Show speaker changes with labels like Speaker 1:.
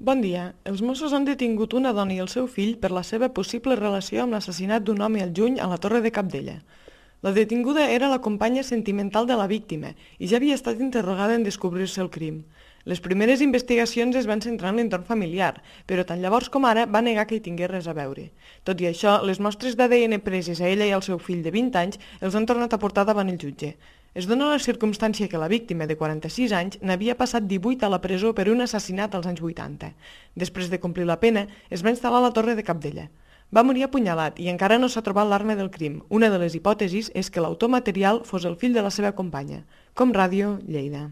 Speaker 1: Bon dia. Els Mossos han detingut una dona i el seu fill per la seva possible relació amb l'assassinat d'un home al juny a la Torre de Cabdella. La detinguda era la companya sentimental de la víctima i ja havia estat interrogada en descobrir-se el crim. Les primeres investigacions es van centrar en l'entorn familiar, però tant llavors com ara va negar que hi tingués res a veure. Tot i això, les mostres d'ADN preses a ella i al seu fill de 20 anys els han tornat a portar davant el jutge. Es dona la circumstància que la víctima, de 46 anys, n'havia passat 18 a la presó per un assassinat als anys 80. Després de complir la pena, es va instal·lar a la Torre de Cabdella. Va morir apunyalat i encara no s'ha trobat l'arma del crim. Una de les hipòtesis és que l'autor material fos el fill de la seva companya. Com Ràdio, Lleida.